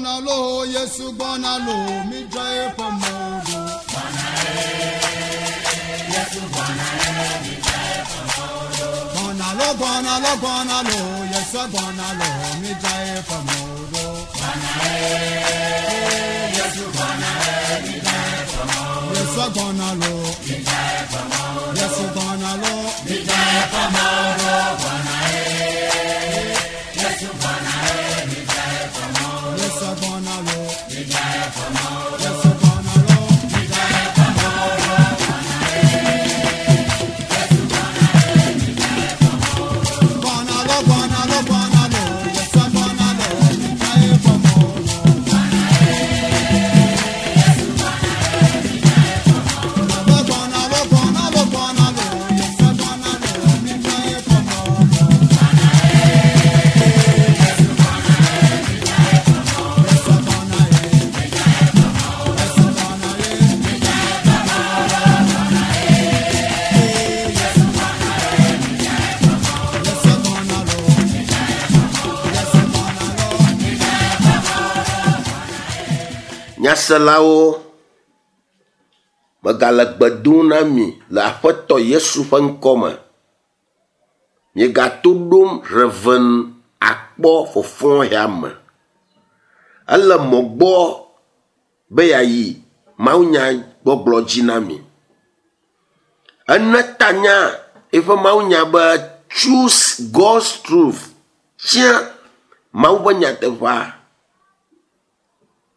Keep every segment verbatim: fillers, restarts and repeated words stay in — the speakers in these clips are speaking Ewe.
Gbɔna lo, Yesu gbɔna lo, mi dzra eƒe mɔ ɖo. Gbɔna lo, gbɔna lo, gbɔna lo, Yesu gbɔna lo, mi dzra eƒe mɔ ɖo. Yesu gbɔna lo, Yesu gbɔna lo, mi dzra eƒe mɔ ɖo. Yesu gbɔna lo, Yesu gbɔna lo, mi dzra eƒe mɔ ɖo. Gbɔna lo, gbɔna lo, gbɔna lo, Yesu gbɔna lo, mi dzra eƒe mɔ ɖo. Gbɔna lo, gbɔna lo, gbɔna lo, Yesu gbɔna lo, mi dzra eƒe mɔ ɖo. Yesu gbɔna ye, Yesu gbɔna ye, Yesu gbɔna lo, Yesu gbɔna lo. Nyaselawo, megale gbe dom na mi le Aƒetɔ Yesu ƒe ŋkɔme. Miegato ɖom Reverend akpɔ fɔfɔ ya me. Ele mɔ gbɔ be yeayi mawunya gbɔgblɔ dzi na mi. Ene tanya eƒe mawunya be choose God's truth. Tia Mawu ƒe nyateƒea.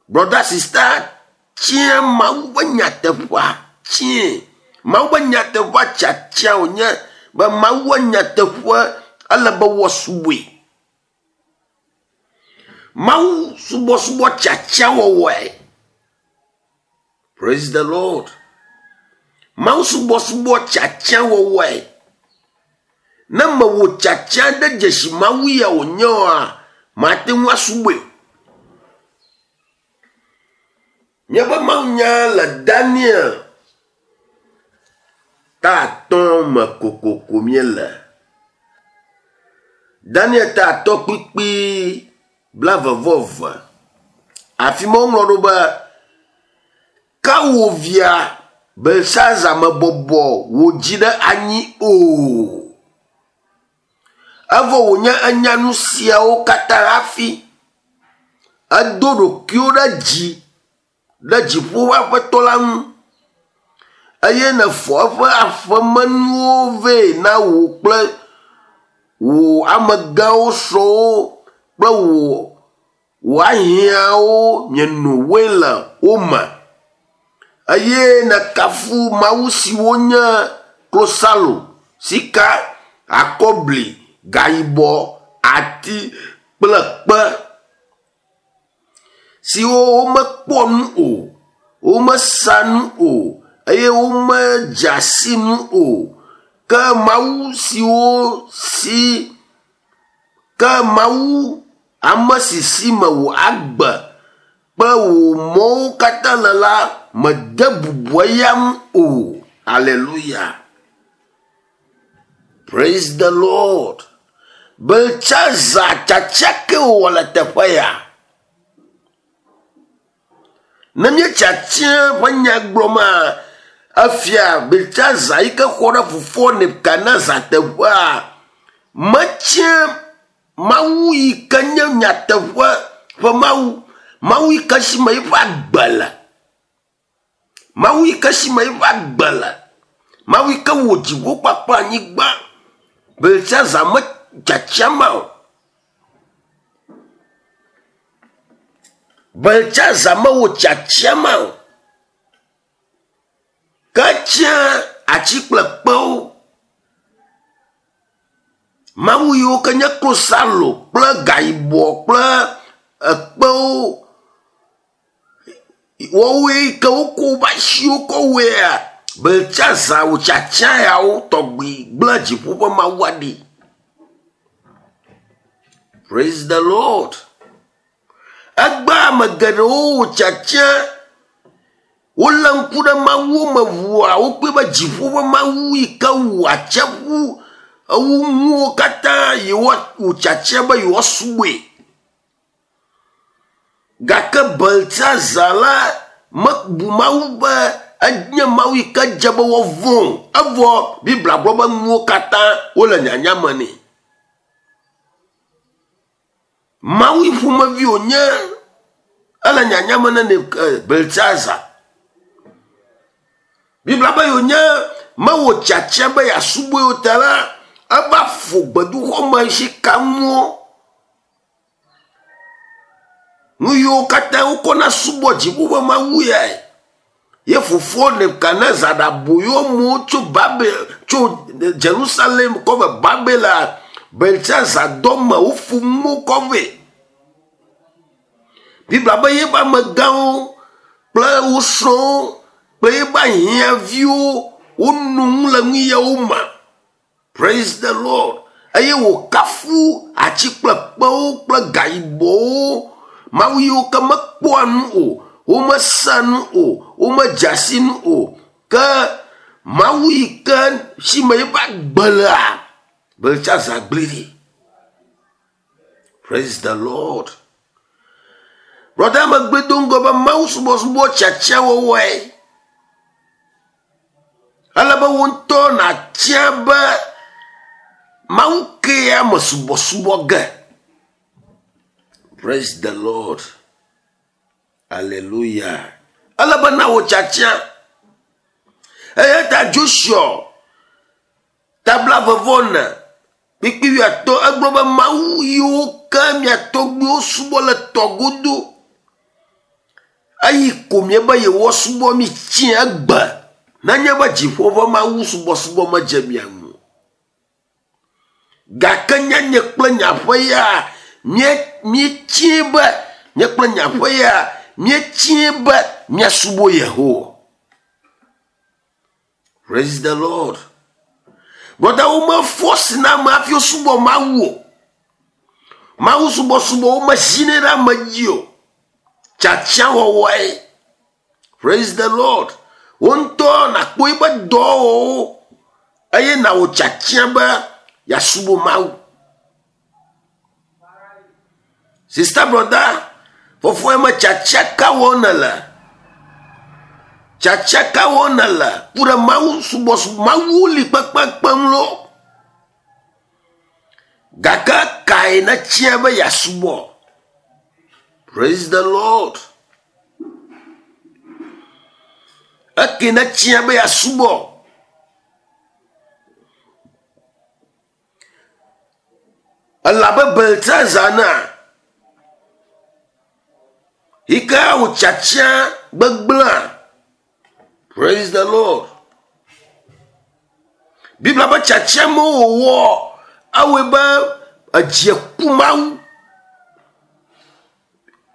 Brother, sister, tia Mawu ƒe nyateƒea. Tie Mawu ƒe nyateƒea tiatia wònye be Mawu ƒe nyateƒe ele be woasubɔe. Mawu subɔsubɔ tiatia wɔwɔe. Praise the Lord. Mawu subɔsubɔ tiatia wɔwɔe. Ne mewɔ tiatia ɖe dzesi Mawu ya wònye oa, mate ŋu asubɔe o. Míaƒe mawunya le Daniel ta atɔ̃ me kokoko míele. Daniel ta atɔ̃ kpukpui blaeve vɔ eve. Afi ma woŋlɔ ɖo be, ke wò via Belsaza mebɔbɔ wò dzi ɖe anyi o. Evɔ wònye enya nu siawo katã hafi edo ɖokuiwo ɖe dzi ɖe dziƒo ƒe aƒetɔ la ŋu eye nèfɔ eƒe aƒemenuwo vɛ na wò kple wò amegãwo srɔ̃wo kple wò wò ahiãwo mieno wain le wo me eye nèkafu mawu siwo nye klosalo, sika, akɔbli, gayibɔ, ati kple kpe siwo womekpɔ nu o, womesa nu o eye womedze si nu o. Ke mawu siwo si ke mawu ame si si me wò agbe kple wò mɔwo katã le la mede bubu eya ŋu o. Hallelujah. Praise the Lord. Beltsazar tiatia ke wòwɔ le teƒe ya. Ne míetiatia ƒe nya gblɔma, efia Beltsazar yi ke xɔ ɖe fofoa Nebukadnezar teƒea, metia Mawu yi ke nye nyateƒe ƒe Mawu, Mawu yi ke si me eƒe agbe le. Mawu yi ke si me eƒe agbe le. Mawu yi ke wɔ dziƒo kpakple anyigba. Beltsazar metiatia ma o. Beltsazar mewɔ tiatia ma o. Ke etia ati kple kpewo. Mawu yiwo ke nye klosalo kple gayibɔ kple ekpewo. Woawoe ke wokɔ woƒe asiwo kɔ wɔea, Beltsazar wò tiatia yawo tɔgbi gblẽ dziƒo ƒe Mawua ɖi. Praise the Lord. Egbe ame geɖewo wò tiatia, wolé ŋku ɖe Mawuwo me ʋua, wokpɔe be dziƒo ƒe Mawu yi ke wu atsiaƒu, ewu nuwo katã yewoa wò tiatia be yewoasubɔe. Gake Beltsaza la mebu Mawu be enye Mawu yi ke dze be woavɔ̃ o. Evɔ Biblia gblɔ be nuwo katã wole nyanya me nɛ. Mawu yi ƒomevi wònye ele nyanya me ne Beltsaza. Biblia be yonye mewɔ tiatia be yeasubɔe o ta la, eva ƒo gbedoxɔme sikanuwo. Nu yiwo katã wokɔna subɔ dziƒo ƒe Mawu yae. Ye fofoa Nebukadnezar ɖe aboyo amewo tso Babel, tso Jerusalem kɔ va Babel Beltsaza dɔ me woƒo nuwo kɔ vɛ. Biblia be yeƒe amegãwo kple wo srɔ̃wo kple yeƒe ahiãviwo wono nu le nu yawo me. Praise the Lord. Eye wòkafu atsi kple kpewo kple gayibɔwo. Mawu yiwo ke mekpɔa nu o, womesea nu o, womedzea si nu o. Ke Mawu yi ke si me yeƒe agbe lea, Beltsaza gblẽ ɖi. Praise the Lord. Brother megbe do ŋgɔ be Mawu subɔsubɔ tiatia wɔwɔe. Ele be wo ŋutɔ nàtia be Mawu kea me subɔsubɔ ge. Praise the Lord. Hallelujah. Ele be na wò tiatia. Eya ta Joshua tabla vevɔ ne kpikpi wuiatɔ̃ egblɔ be Mawu yiwo ke mia tɔgbuiwo subɔ le tɔ godo. Eyi ko miebe yewoasubɔ mi tsi egbe. Nenye be dziƒo ƒe Mawu subɔsubɔ medze mia ŋu. Gake nye nye kple nye aƒe ya míetsie be nye kple nye aƒe ya míetsie be míasubɔ Yehowa. Praise the Lord. Brother, womefɔ na ame hafi wosubɔ Mawu o. Mawu subɔsubɔ womezinɛ ɖe ame dzi o. Tiatia wɔwɔe. Praise the Lord. Wo ŋutɔ nàkpɔ eƒe dɔwɔwɔwo eye nàwɔ tiatia be yeasubɔ Mawu. Sister, brother, fofoa me tiatia ka wɔm nèle? Tiatia ka wɔm nèle ku ɖe Mawu subɔsubɔ Mawu li kpekpekpem lo. Gake kae nètia be yeasubɔ? Praise the Lord. Eke nètia be yeasubɔ. Elabe Beltsaza na yi ke wò tiatia gbegblẽa. Praise the Lord. Biblia be tiatia me wòwɔ ewɔe be edzi ku Mawu.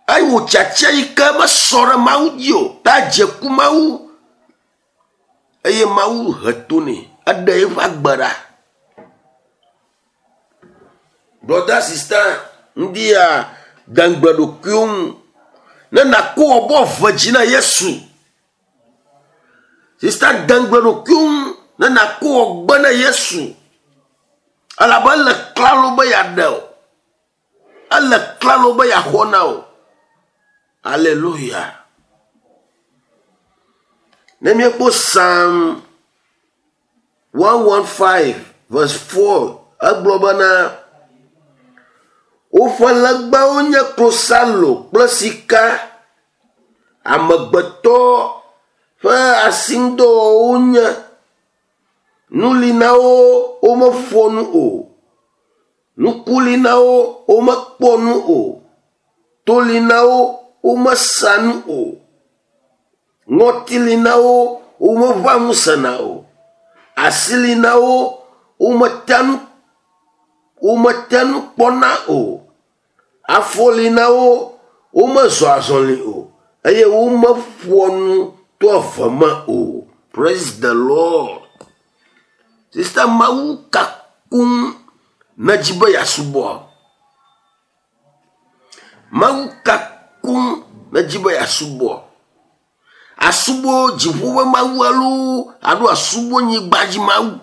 Eye wò tiatia yi ke mesɔ ɖe Mawu dzi o ta edzi ku Mawu. Eye Mawu he to nɛ, eɖe eƒe agbe ɖa. Brother, sister, ŋdi ya de ŋugble ɖokuiwo ŋu ne nàkɔ wò abɔ eve dzi na Yesu. Sister, de ŋugble ɖokuiwo ŋu ne nàkɔ wò gbe na Yesu. Elabe ele klalo be yeaɖe o. Ele klalo be yeaxɔ na o. Hallelujah. Ne míekpɔ Psalm one one five verse four egblɔ bena woƒe legbawo nye klosalo kple sika, amegbetɔ ƒe asiŋudɔwɔwɔwo nye. Nu li na wo womeƒoa nu o. Ŋku li na wo womekpɔ nu o. To li na wo womesea nu o. Ŋɔti li na wo womeʋã nu sena o. Asi li na wo womete nu womete nu kpɔna o. Afɔ li na wo womezɔ azɔli o eye womeƒoa nu to eve me o. Praise the Lord. Sister, Mawu ka koŋ nedzi be yeasubɔ? Mawu ka koŋ nedzi be yeasubɔ? Asubɔ dziƒo ƒe Mawu alo alo asubɔ nyigba dzi Mawu?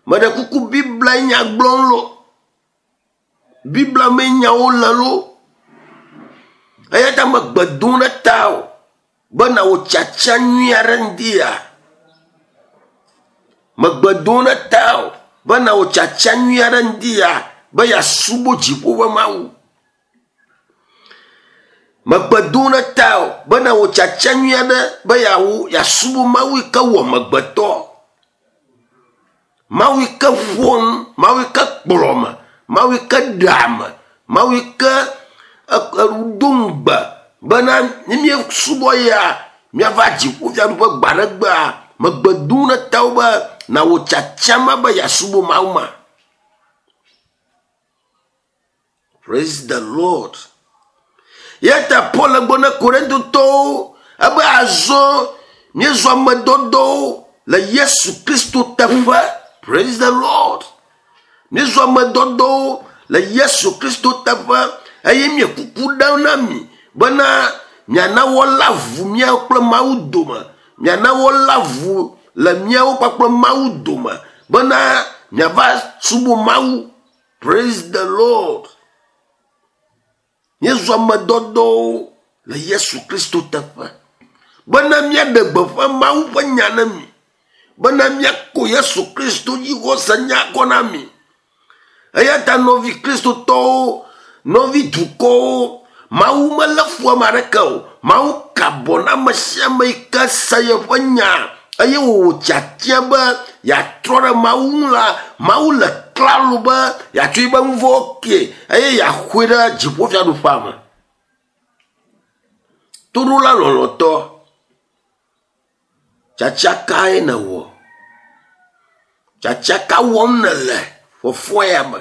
Meɖe kuku Biblia nya gblɔm lo. Biblia me nyawo le lo. Eya ta megbe dom ɖe ta o bena wò tsatsa nyui aɖe ŋdia. Megbe dom ɖe ta o bena wò tsatsa nyui aɖe ŋdia be yeasubɔ dziƒo ƒe Mawu. Megbe dom ɖe ta o bena wò tsatsa nyui aɖe be yeawo yeasubɔ Mawu yi ke wɔ amegbetɔ. Mawu yi ke ƒo nu, Mawu yi ke kplɔ me, Mawu yi ke ɖe ame, Mawu yi ke do ŋugbe bena ne míesubɔ ya míava dziƒofiaɖuƒe gbe aɖe gbea, megbe dom ɖe ta wo be na wò tsatsa ma be yeasubɔ Mawu ma. Praise the Lord. Ya ta Paul le gblɔ na Korintotɔwo ebe azɔ míezɔ amedɔdɔwo le Yesu Kristo teƒe. Praise the Lord. Míezɔ amedɔdɔwo le Yesu Kristo teƒe eye míekuku ɖem na mi bena miana woala vu míawo kple Mawu dome. Miana woala vu le míawo kpakple Mawu dome bena miava subɔ Mawu. Praise the Lord. Míezɔ amedɔdɔwo le Yesu Kristo teƒe bena míaɖe gbeƒã Mawu ƒe nya na mi, bena míako Yesu Kristo dzixɔse nya kɔ na mi. Eya ta nɔvi Kristotɔwo, nɔvi dukɔwo, Mawu melé fu ame aɖeke o. Mawu ka abɔ na ame sia ame yi ke se yeƒe nya eye wòwɔ tiatia be yeatrɔ ɖe Mawu ŋu la, Mawu le klalo be yeatsɔ yiƒe nu vɔ̃wo kee eye yeaxɔe ɖe dziƒofiaɖuƒea me. Toɖola lɔlɔ̃tɔ, tsatsa kae nèwɔ? Tsatsa ka wɔm nèle fɔfɔ ya me?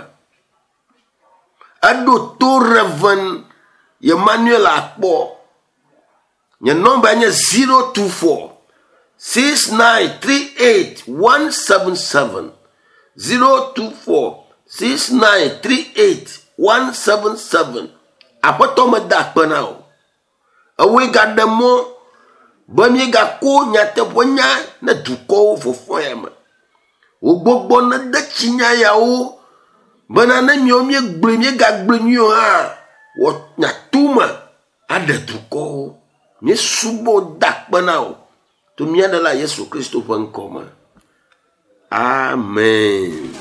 Eɖo to Reverend Emmanuel Akpɔ. Nye nɔmba nye zero two four six nine three eight one seven seven. zero two four six nine three eight one seven seven. Aƒetɔ meda akpe na o. Ewoe gaɖe mɔ be míegako nyateƒe nya ne dukɔwo fɔfɔ ya me. Wò gbɔgbɔ nede tsi nya yawo bena ne míawo míegblɔe míegagblɔe nyuie o hã, wɔ nyatome aɖe dukɔwo. Míesubɔ da akpe na wò to mía Ɖela Yesu Kristo ƒe ŋkɔ me. Amen.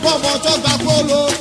Bọ́bọ̀ tó gbà kóló.